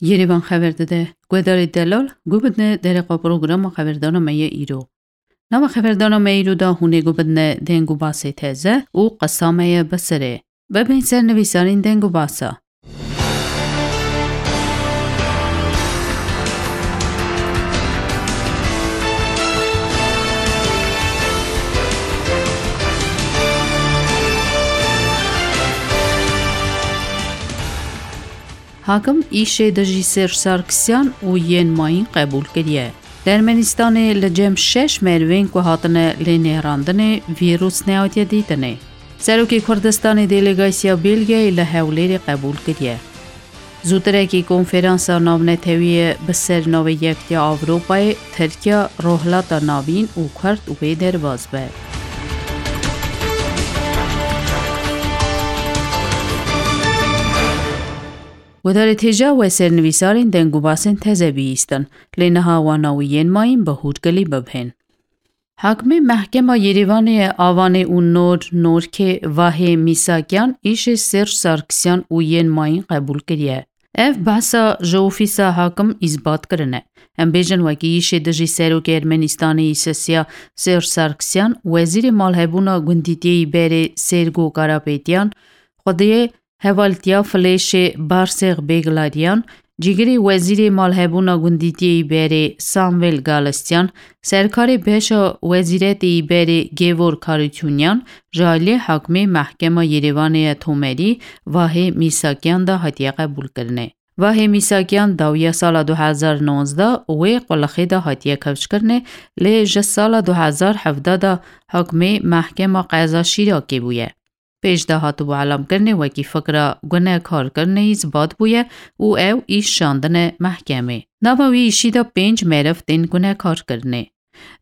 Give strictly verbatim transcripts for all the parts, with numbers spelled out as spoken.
Yêrêvan xeber dide. Guhdarê delal, guh bidine dereqa programa xeberdana me yê îro. Nava xeberdana me îro de hûn ê guh bidine deng û basê teze û qesa me ye bi sirê. Bibên ser nivîsarên deng û basa. Hakim îşê dijî Sêrj Sarkisyan û yên mayîn qebûl kiriye. Li Ermenistanê li cem şeş merivên ku hatine lê nêrandinê vîrus nehatiye dîtinê. Serokê Kurdistanê delegasya Belgiyayê li Hewlêrê qebûl kiriye. Zûtirekî konferansa navnetewî bi ser navê Yektiya Ewropayê, Tirkiye, Rohilata Navîn û Kurd wê derbas be. Guhdarê têja we ser nivîsarên deng û basên teze bihîstin, lê niha wana wî yên mayîn bi hûrgilî bibhên. Hakimê Mehkema Yêrêvanê ye Avanê û Nor Norkê Vahê Mîsakyan îşê Sêrj Sarkisyan û yên mayîn qebûl kiriye. Ev behsa ji ofîsa hakim îsbat kirine. Em bêjin wekî îşê dijî serokê Ermenistanê îsesiya Sêrj Sarkisyan, wezîrê malhebûna gundîtiyê î berê Sêrgo Karapêtiyan, xwediyê hevaltiya Filêşê Barsêx Bêglaryan, cîgirê wezîrê malhebûna gundîtiyê î berê Samvel Galistyan, serkarê beşa wezîretê î berê Gêvor Karutûnyan, ji aliyê hakimê Mehkema Yêrêvanê ya Tomerî Vahê Mîsakyan de hatiye qebûlkirinê. Vahê Mîsakyan dawiya sala du hezar nonzdeh wê qulixê de hatiye kewçkirinê, lê ji sala du hezar hevdeh de hakimê Mehkema Qeza Şîrakê bûye. Pêş de hatibû elamkirinê wekî fikra gunekarkirinê îsbat bûye û ew îş şandine mehkemê. Nava wî îşî de pênc meriv tên gunekarkirinê.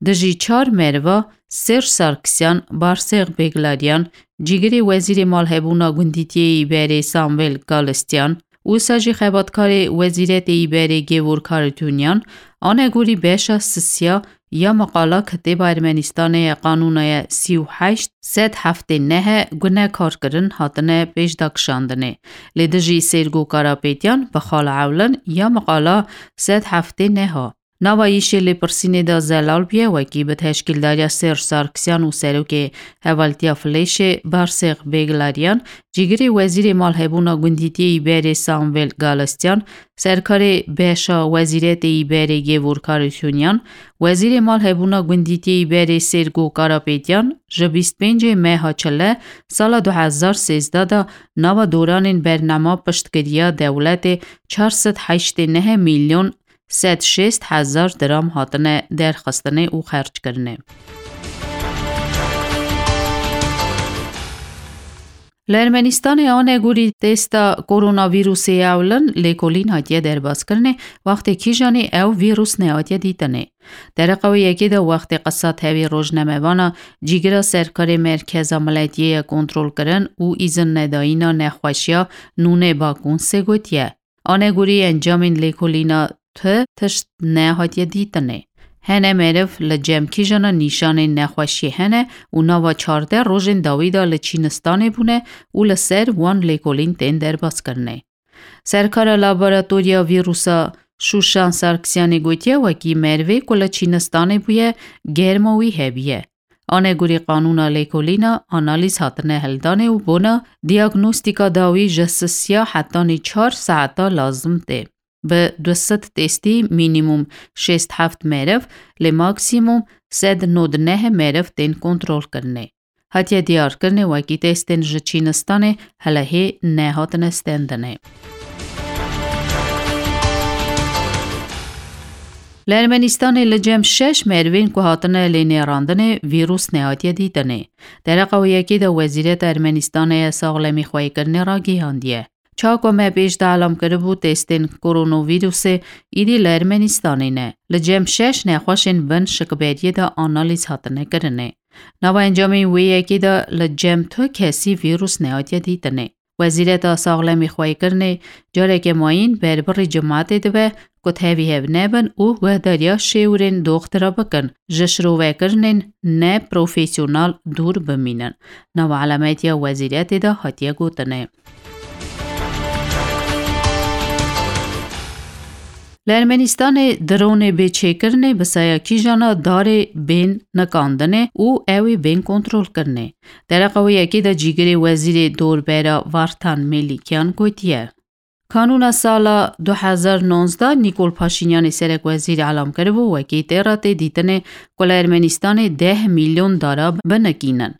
Dijî çar meriva Sêrj Sarkisyan, Barsêx Bêglaryan, cîgirê wezîrê malhebûna gundîtiyê î berê Samvel Galistyan, wisa jî xebatkarê wezîretê î berê Gêvor Karutûnyan, anegorî beşa sisiya ya meqala kitêba Ermenistanê ya qanûna ye sî û heşt sed heftê neh e gunekarkirin hatine pêşda kişandinê. Lê dijî Sêrgo Karapêtiyan bi xala ewlin ya meqala sed heftê neh a. Nava îşê lêpirsînê de zelal bûye wekî bi teşkîldariya Sêrj Sarkisyan û serokê hevaltiya Filêşê Barsêx Bêglaryan, cîgirê wezîrê malhebûna gundîtiyê î berê Samvel Galistyan, serkarê beşa wezîretê î berê Gêvor Karutûnyan, wezîrê malhebûna gundîtiyê î berê Sêrgo Karapêtiyan ji bîst pêncê meha çile sala du hezar sêzdeh de nava doranên bernama piştgiriya dewletê çar sed heştê neh milyon sed şêst hezar diram hatine derxistinê û xerckirinê. Li Ermenistanê anegorî testa koronavîrusê ewlin lêkolîn hatiye derbaskirinê, wextê kîjanê ew vîrus nehatiye dîtinê. Dereqa wê yekê de wextê qisa tevî rojnamevana cîgira serkarê Merkeza Miletiyê ye kontrolkirin û îzin nedayîna nexweşiya nûnê Bakûnsê gotiye. Anegorî encamên lêkolîna tu tişt nehatiye dîtinê. Hene meriv li cem kîjana nîşanên nexweşiyê hene û nava çardeh rojên dawî de li Çînistanê bûne û li ser wan lêkolîn tên derbaskirinê. Serkara laboratoriya vîrusa Şûşan Sarkisyanê gotiye, wekî merivê ku li Çînistanê bûye, germa wî hebiye. Anegorî qanûna lêkolîna analîz hatine hildanê û bona diagnostîka dawî ji sisiya hetanî çar saeta lazim tê. Bi du sed testî mînîmûm şêst heft meriv, lê maksîmûm sed nod neh meriv tên kontrolkirinê. Hatiye diyarkirinê wekî testên ji Çînistanê helehê nehatine stendinê. Li Ermenistanê li cem şeş merivên ku hatine lê nêrandinê vîrus nehatiye dîtinê. Dereqa wê yekê de Wezîreta Ermenistanê ya Saxlemî Xweyîkirinê ragihandiye. Çawa ku me pêş de elam kiribû, testên koronavîrusê îdî li Ermenistanê ne. Li cem şeş nexweşên bin şikberiyê de analîz hatine kirinê. Nava encamên wê yekê de li cem tu kesî vîrus nehatiye dîtinê. Wezîreta Saxlemî Xweyîkirinê careke mayîn berbirî cimatê dibe ku tevî hev nebin û guhdariya şêwirên doxtira bikin, ji şirovekirinên ne profesyonal dûr bimînin. Nava elametiya wezîretê de hatiye gotinê. Di Ermenistanê dronê bê çêkirinê bi saya kîjana darê bên nikandinê û ew ê bên kontrolkirinê. Dereqa wê yekê de cîgirê wezîrê dorbera Vartan Melîkyan gotiye. Kanûna sala du hezar nonzdeh Nîkol Paşînyanê serekwezîr elam kiribû, wekî tê re tê dîtinê ku li Ermenistanê deh milyon dara binikînin.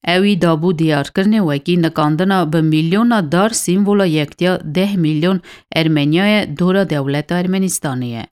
Ewî dabû diyarkirinê wekî nikandina bi milyona dar sîmvola yektiya deh milyon Ermeniya ye dora dewleta Ermenistanê ye.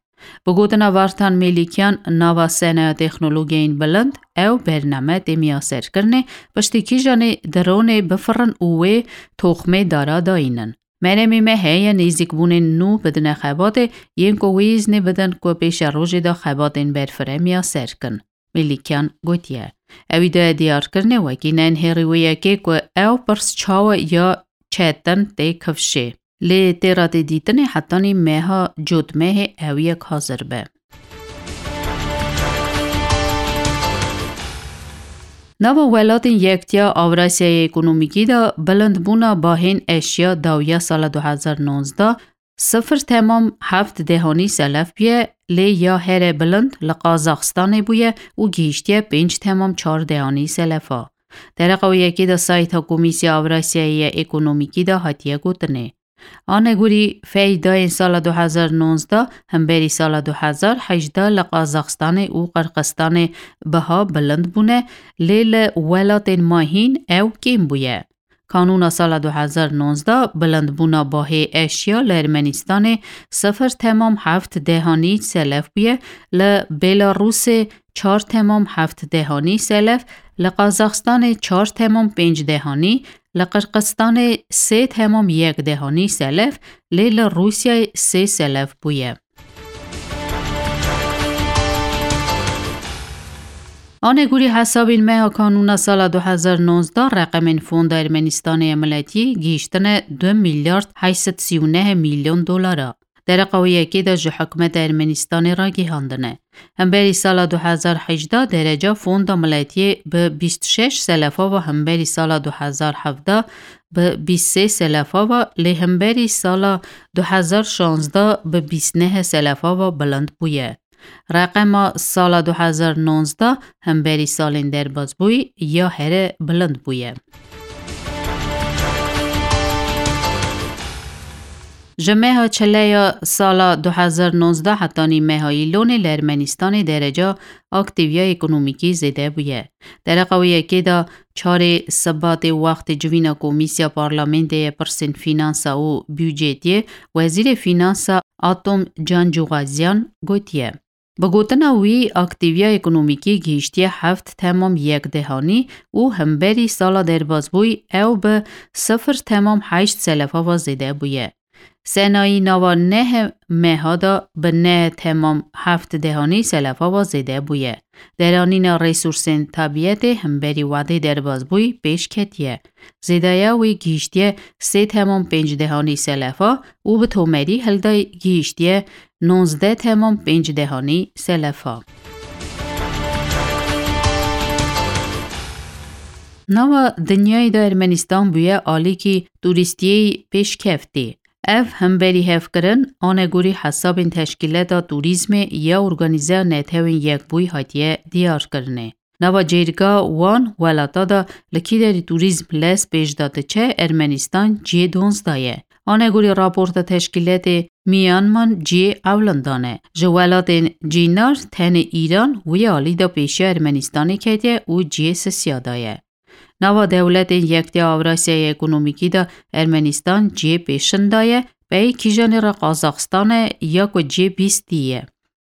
Bi gotina Vartan Melîkyan, nava senaya texnologiyên bilind ew bername tê miyaserkirinê, piştî kîjanê dronê bifirin û wê toxmê dara dayînin. Meremê me heye nêzîkbûnên nû bidine xebatê, yên ku wê îznê bidin ku pêşerojê de xebatên berfireh miyaser kin. Melîkyan gotiye. Ewî daye diyarkirinê wekî nehêrî wê yekê ku ew pirs çawa ya çetin tê kifşê. Lê tê re tê dîtinê hetanî meha cotmehê ew yek hazir be. Nava welatên yektiya Avrasyayê Ekonomîkî de bilindbûna bahên eşya dawiya sala du hezar nonzdeh sifir temam heft dehanî selef bûye, lê ya here bilind li Qazaxistanê bûye û gihîştiye pênc temam çar dehanî selefa. Dereqa wê yekê de sayta Komîsya Avrasyayê ye Ekonomîkî de hatiye gotinê. Anegurî feydayên sala du hezar nonzdeh hemberî sala du hezar hejdeh li Qazaxistanê û Qirxistanê biha bilind bûne, lê li welatên mahîn ew kêm bûye. Kanûna sala du hezar nonzdeh bilindbûna bahê eşya li Ermenistanê sifir temam heft dehanî selef bûye, li Belarusê çar temam heft dehanî selef, li Qazaxistanê çar temam pênc dehanî, li Qirxistanê sê temam yek dehanî selef, lê li Rûsyayê sê selef bûye. Anegurî hesabên meha kanûna sala du hezar nonzdeh reqemên Fonda Ermenistanê ya Miletî gihîştine du milyard heşt sed sî û neh milyon dolara. Dereqa wê yekê de ji hikûmeta Ermenistanê ragihandine. Hemberî sala du hezar hejdeh dereca Fonda Miletiyê bi bîst şeş selefa ve hemberî sala du hezar hevdeh bi bîst sê selefa ve, lê hemberî sala du hezar şazdeh bi bîst neh selefa ve bilind bûye. Reqema sala du hezar nonzdeh hemberî salên derbasbûyî ya here bilind bûye. Ji meha çile ya sala du hezar nonzdeh hetanî meha Îlonê li Ermenistanê dereca aktîviya ekonomîkî zêde bûye. Dereqa wê yekê de çarê Sibatê wextê civîna Komîsya Parlamentê yê pirsên fînansa û budcetiyê, Wezîrê Fînansa Atom Cancûxazyan gotiye. Bi gotina wî, aktîviya ekonomîkî gihîştiye heft temam yek dehanî û hemberî sala derbasbûyî ew bi sifir temam heşt selefa ve zêde bûye. Senayî nava neh meha de bi neh temam heft dehanî selefa ve zêde bûye. Deranîna resûrsên tebîetê hemberî wadê derbasbûyî pêş ketiye. Zêdeya wê gihîştiye sê temam pênc dehanî selefa û bi tomerî hildayî gihîştiye nozdeh temam pênc dehanî selefa. Nava dinyayê de Ermenistan bûye alîkî turîstiyê pêşkeftî. Ev hemberî hevkirin anegorî hesabên Teşkîleta Turîzmê ya Organîzeya Netewên Yekbûyî hatiye diyarkirinê. Nava cêrika wan welata de li kî derî turîzm lez pêş de diçe, Ermenistan cihê donzdeh ye. Anegorî raporta teşkîletê Myanmar cihê ewlindan e. Ji welatên cînar tenê Îran wî alî de pêşiya Ermenistanê ketiye û cihê sisiya de ye. Nava dewletên Yektiya Avrasyayê Ekonomîkî de Ermenistan cihê pêşin de ye, pey kîjanê re Qazaxistan e ya ku cihê bîstî ye.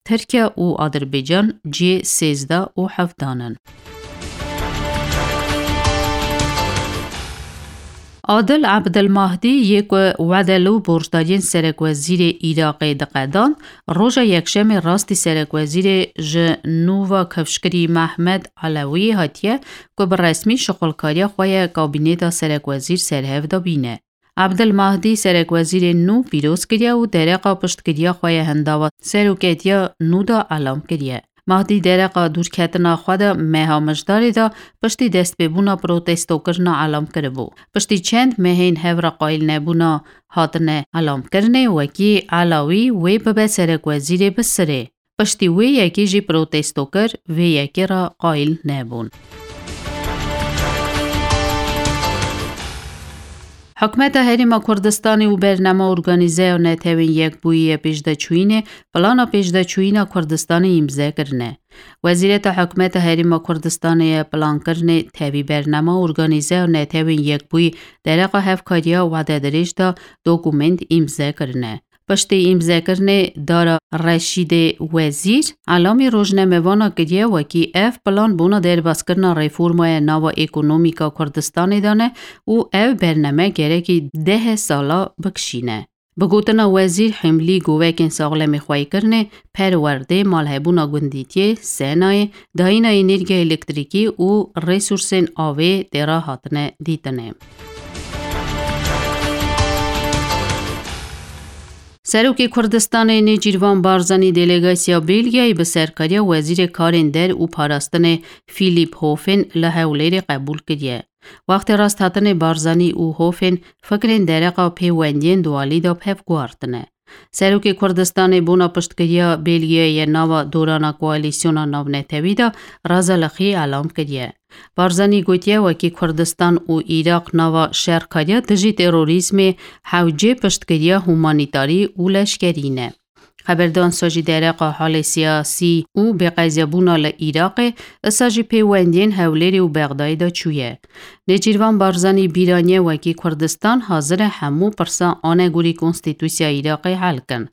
Tirkiye û Adirbaycan cihê sêzdeh û hevdan in. Adil Abdilmahdî yê ku wedel û borcdariyên serekwezîrê Iraqê diqedand, roja Yekşemê rastî serekwezîrê ji nû ve kifşkirî Mehmed Elewî hatiye ku bi resmî şixulkariya xwe ye kabîneta serekwezîr serhev de bîne. Abdilmahdî serekwezîrê nû pîroz kiriye û dereqa piştgiriya xwe ya hindava seroketiya nû de elam kiriye. Mahdî dereqa dûrketina xwe de meha Mijdarê de piştî destpêbûna protestokirina elam kiribû. Piştî çend mehên hev re qayîl nebûna hatine elamkirinê, wekî Elawî wê bibe serekwezîrê bi sirê. Piştî wê yekê jî protesto kir, vê yekê re qayîl nebûn. Hikûmeta Herêma Kurdistanê û Bernama Organîzeya Netewên Yekbûyî yê Pêşdeçûyînê plana pêşdeçûyîna Kurdistanê îmze kirine. Wezîreta Hikûmeta Herêma Kurdistanê yê Plankirinê tevî Bernama Organîzeya Netewên Yekbûyî dereqa hevkariya wededirêj de dokumênt îmze kirine. Piştî îmzekirinê Dara Reşîdê Wezîr, elamî rojnamevana kiriye wekî ev plan bona derbazkirina reformaya nava ekonomîka Kurdistanê de ne û ev bername gerekî deh sala bikişîne. Bi gotina Wezîr Himlî govekên saxlemê xweyîkirinê, perwerdê, malhebûna gundîtiyê, senayê, dayîna înêrgiya elektrîkî û resûrsên avê tê re hatine dîtinê. Serokê Kurdistanê Nêçîrvan Barzanî delegasiya Belgiyayê bi serkariya Wezîrê Karên Der û Parastinê Philip Hofen li Hewlêrê qebûl kiriye. Wextê rasthatinê Barzanî û Hofen fikrên dereqa pêwendiyên dualî de bi hev guhartine. Serokê Kurdistanê bona piştgiriya Belgiyayê nava dorana koalîsyona navnetewî de razalixî elam kiriye. Barzanî gotiye, wekî Kurdistan û Iraq nava şerkariya dijî terorîzmê hewcê piştgiriya humanîtarî û leşkerî ne. Xeberdan sa jî dereqa halê siyasî û bêqezyabûna li Iraqê, isa jî pêwendiyên Hewlêrê û Bexdayê de çûye. Nêçîrvan Barzanî bîraniye wekî Kurdistan hazir e hemû pirsa anegorî konstîtûsiya Iraqê hel kin.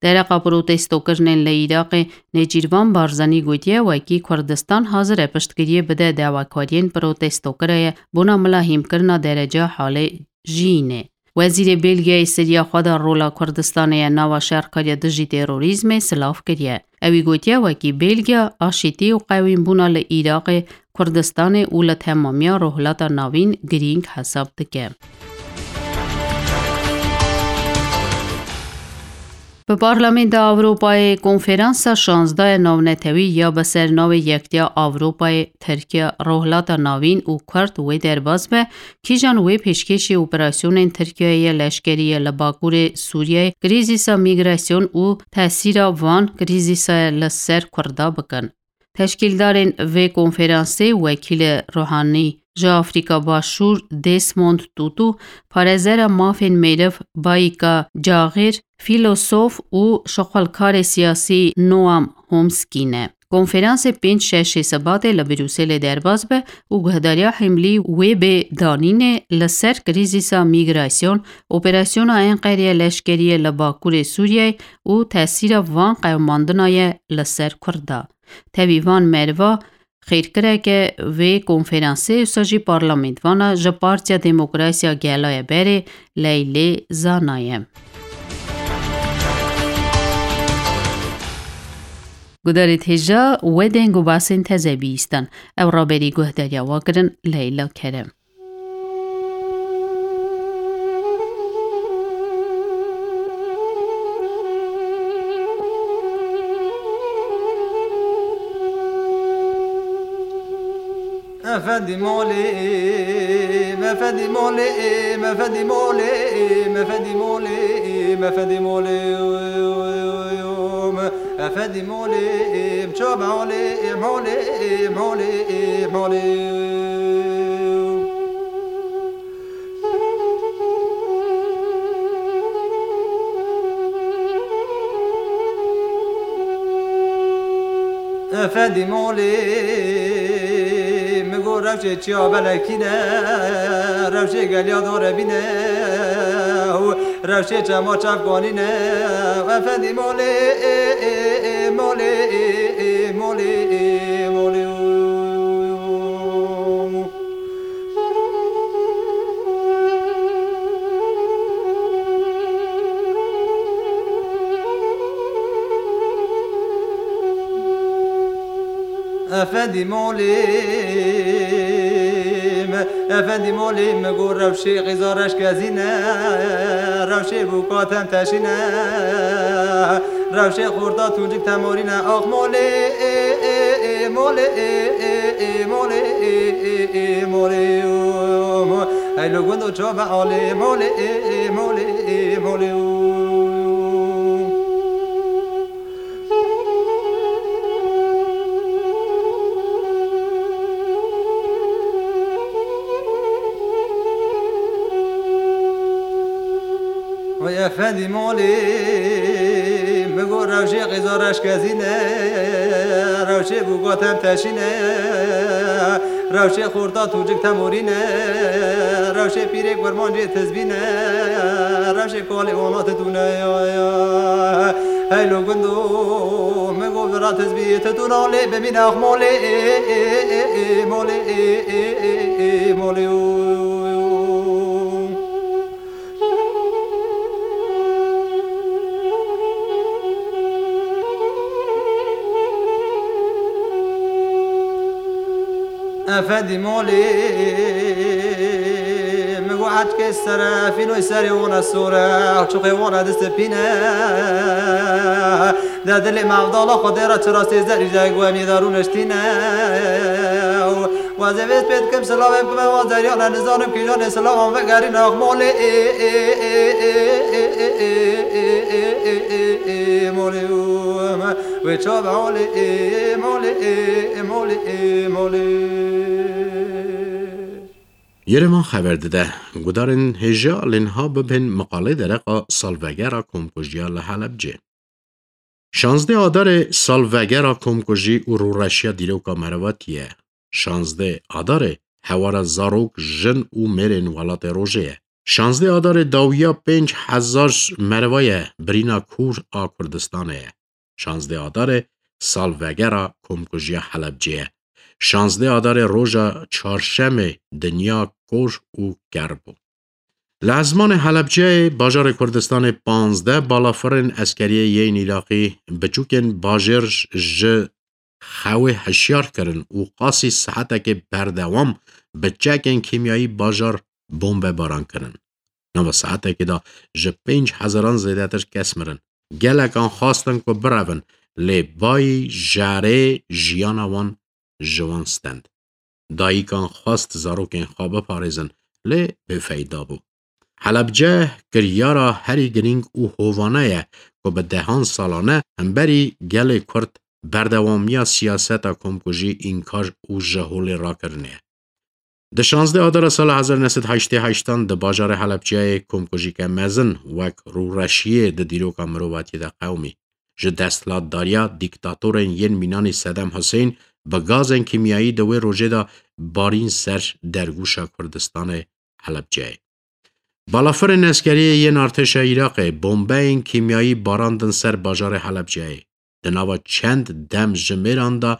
Dereqa protestokirinên li Iraqê Nêçîrvan Barzanî gotiye, wekî Kurdistan hazir e piştgiriyê bide dawekariyên protestokirayê bona milahîmkirina dereca halê jiyînê. Wezîrê Belgiyayê seriya xwe de rola Kurdistanê ya nava şerkariya dijî terorîzmê silav kiriye. Ewî gotiye, wekî Belgiya, aşîtî û qewînbûna li Iraqê, Kurdistanê û li temamiya Rojhilata Navîn girîng hesab dike. Bi Parlamenda Ewropayê konferansa şazdeh ya navnetewî ya bi sernavê Yektiya Ewropayê, Tirkiye, Rojhilata Navîn û Kurd wê derbas be, kîjan wê pêşkêşî operasyonên Tirkiyeyê ya leşkerî ya li Bakurê Sûriyeyê, krîzîsa mîgrasyon û tesîra van krîzîsa li ser Kurda bikin. Teşkîldarên vê konferansê wekîlê Ruhanî ji Afrîka Başûr, Desmond Tutu, parêzera mafên meriv Bayika Cagir, fîlosof û şixulkarê siyasî Noam Homskî ne. Konferansê pênc şeşê Sibatê li Brûselê derbas be û guhdariya hemlî wê bê danînê li ser krîzîsa mîgrasyon, operasyona Enqerê leşkerî li Bakurê Sûriyeyê û tesîra van qewimandina ye li ser Kurda. Tevî van meriva xêrkireke vê konferansê wisa jî parlamentvana ji Partiya Demokrasiya Gela ye berê Leylê Zana ye. Gudarê hêja we deng û basên teze bihîstin. Ew raberî guhdariya we kirin Leyla Kerem. Efendî molê, efendî molê, efendî molê, efendî molê, efendî molê, efendî molê, çabe olê, molê, molê, molê. Efendî molê, min got rewşê çiya belekî ne, rewşê geliya dore bîne, rewşê çema çavkanî ne. Efendî molê, molê, molê, molê. Efendî molê, efendî molê, min got rewşê qîza reşkezîne, rewşê bûka tem teşîne. Rewşê xorta tûncik temorîne, ax molê, ê, ê, ê, molê, ê, ê, ê, ê, molê, û, mo-, ey lo gundo çobe alê, molê, ê, ê, molê, ê, molê, û. Oy efendî molê, mi got rewşê qêza reşkezîne, rewşê bû gotem teşîne, rewşê xorta tûcik temorîne, rewşê pîrê kurmancê tizbîne, rewşê kolê ona titûne ya ya. Hey lo gundo, mi got vira tizbî titûna lê bimîne axmolê, ê, ê, ê, ê, molê, ê, ê, ê, ê, molê, o. Efendî molê, mi got etkê sere, fînoy serê wana sore, çuqê wana distipîne. De dilê mevdala xwe dê re çirastê zerî zey guemî de rûniştîne. Wazê vêz pê dikim silavê bikime wan zeriyane, nizanim kîjanê silavan vegerîne axmolê, ê, ê, ê, molê, û, me, wê çav olê, ê, molê, ê, ê, molê, ê, molê. Yerevan xeber dide, gudarên hêja lê niha bibên miqalê dereqa salvegera komkujiya li Helebcê. Şazdeh Adarê salvegera komkujî û rûreşiya dîroka merivatiye. Şazdeh Adarê hewara zarok, jin û mêrên welatê rojê ye. Şazdeh Adarê dawiya pênc hezar merva ye birîna kûr a Kurdistanê ye. Şazdeh Adarê salvegera komkujiya Helebcê ye. Şazdeh Adarê roja çarşemê dinya kor û ker bû. Li ezmanê Helebceyê, bajarê Kurdistanê panzdeh balafirên eskeriyê yên Îraqî biçûkên bajêr ji xewê hişyar kirin û qasî saetekê berdewam bi çekên kîmyayî bajar bombebaran kirin. Nava saetekê de ji pênc hezaran zêdetir kes mirin. Gelekan xwestin ku birevin, lê bayî jerê jiyana wan ji wan stend. Dayikan xwest zarokên xwe biparêzin, lê bêfeyda bû. Helebce kiryara herî girîng û hovane ye ku bi dehan salane hemberî gelê Kurd berdewamiya siyaseta komkujî înkar û ji holê rakirinê ye. Di şazdeh Adara sala hezar neh sed heştê heştan di bajarê Helebceyê komkujîke mezin wek rûreşiyê di dîroka mirovatiyê de qewimî. Ji desthilatdariya dîktatorên yên mînanî Sedam Husên bi gazên kîmyayî di wê rojê de barîn ser dergûşa Kurdistanê Helebceyê. Balafirên eskeriyê yên artêşa Iraqê bombeyên kîmyayî barandin ser bajarê Helebceyê. Di nava çend dem ji mêran de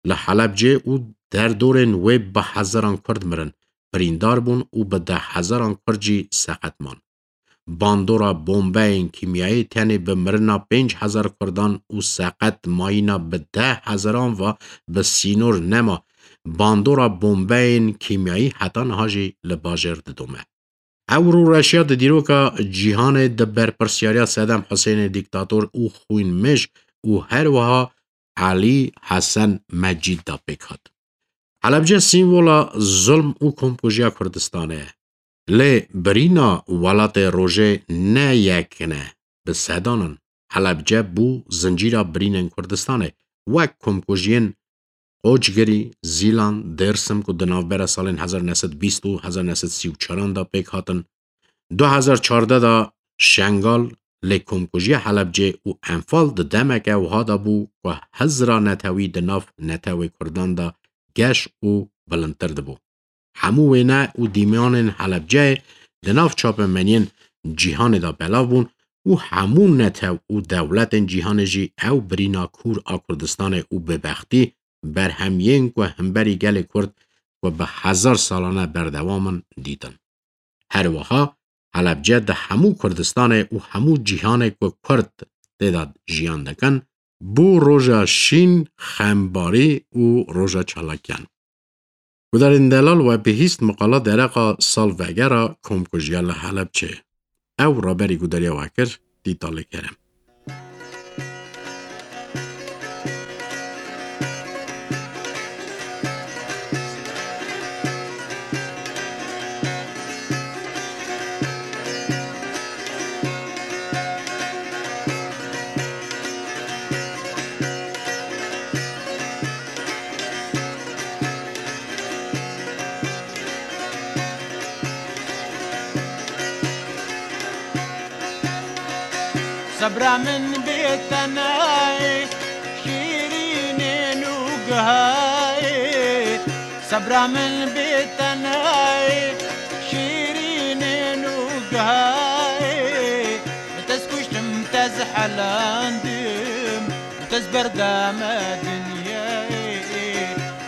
li Helebcê û derdorên wê bi hezaran Kurd mirin, birîndar bûn û bi deh hezaran Kurd jî seqet man. Bandora bombeyên kîmyayî tenê bi mirina pênc hezar Kurdan û seqet mayîna bi deh hezaran ve bi sînor nema. Bandora bombeyên kîmyayî heta niha jî li bajêr didome. Ew rûreşiya di dîroka cîhanê di berpirsyariya Sedam Husênê dîktator û xwînmêj û her wiha Elî Hesen Mecîd de pêk hat. Helebce sîmvola zulm û komkujiya Kurdistanê ye. Lê birîna welatê rojê ne yek ne, bi sedan in. Helebce bû zincîra birînên Kurdistanê, wek komkujiyên Qoçgirî, Zîlan, Dêrsim ku di navbera salên hezar neh sed bîst û hezar neh sed sî û çaran de pêk hatin, du hezar çardeh de Şengal, lê komkujiya Helebcê û Enfal di demeke wiha de bû ku hizra netewî di nav netewê Kurdan de geş û bilindtir dibû. Hemû wêne û dîmanên Helebceyê di nav çapemeniyên cîhanê de belav bûn û hemû netew û dewletên cîhanê jî ew birîna kûr a Kurdistanê û bêbextî berhemiyên ku hemberî gelê Kurd ku bi hezar salane berdewam in dîtin. Her wiha Helebce di hemû Kurdistanê û hemû cîhanê ku Kurd tê de jiyan dikin, bû roja şîn, xembarî û roja çalakiyan. Gudarên delal, we bihîst miqala dereqa salvegera komkujiya li Helebçê. Ew raberî gudariya we kir, Dîtalê Kerem. Sebra min bê tenayê, şîrînên û gihayê. Sebra min bê tenayê, şîrînên û gihayê. Te ez kuştim, te ez helandim, te ez berdame dinyayê,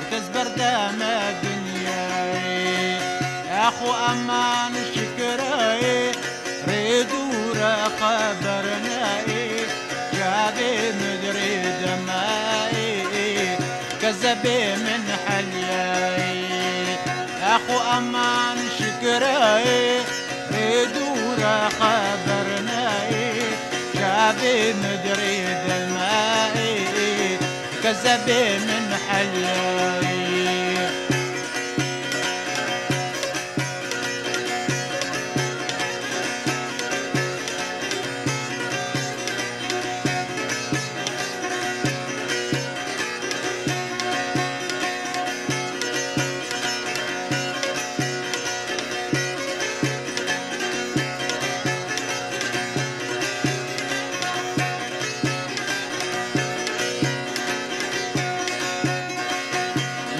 te ez berdame dinyayê. Exo eman şikirayê, rê dûre xeber neyê, çavê min dirê demayê, kezebê min heliyayê. Exo eman şikirayê, rê dûre xeber neyê, çavê min dirê demayê, kezebê min heliyayê.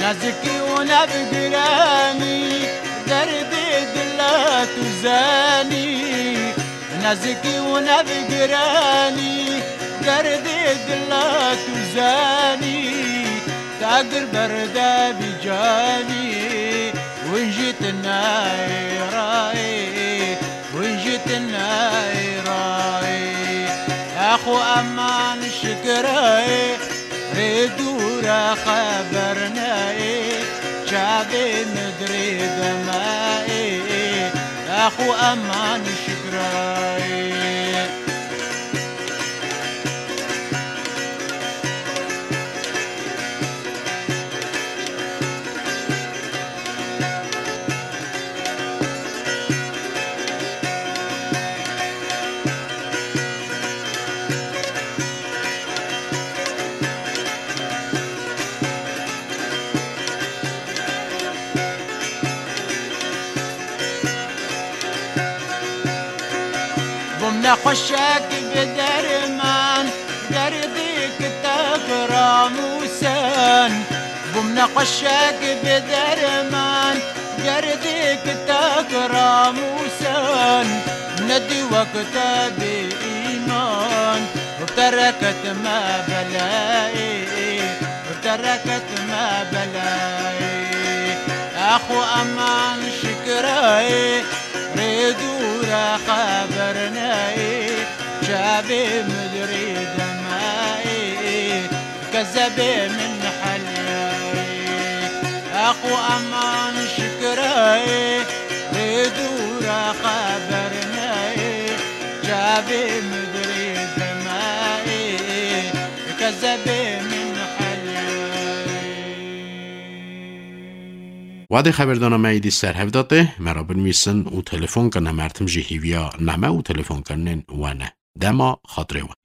Nezikî û nevgiranî, derdê dila tu zanî. Nezikî û nevgiranî, derdê dila tu zanî. Te agir berde vî canî, win jî tu nayê rayê, win jî tu nayê rayê. Exo eman şikirayê, rê dûre xeber neyê, çavê min dirê demayê, exo eman şikirayê. Bûm nexweşek bi derman, derdê kitab ramûsen. Bûm nexweşek bi derman, derdê kitab ramûsen. Nedî wek te bê îman, û te reket me belayê, û te reket me belayê. Exo eman şikirayê, rê dûre xeber neyê, çavê min dirê demayê, kezebê min heliyayê. Exo eman şikirayê, rê dûre xeber neyê, çavê min dirê demayê, kezebê min heliyayê. Wadê xeberdana me êdî ser hev de tê, me re binivîsin û telefon kirine, mertim jî hîviya name û telefonkirinên we ne. Dema xatirê we.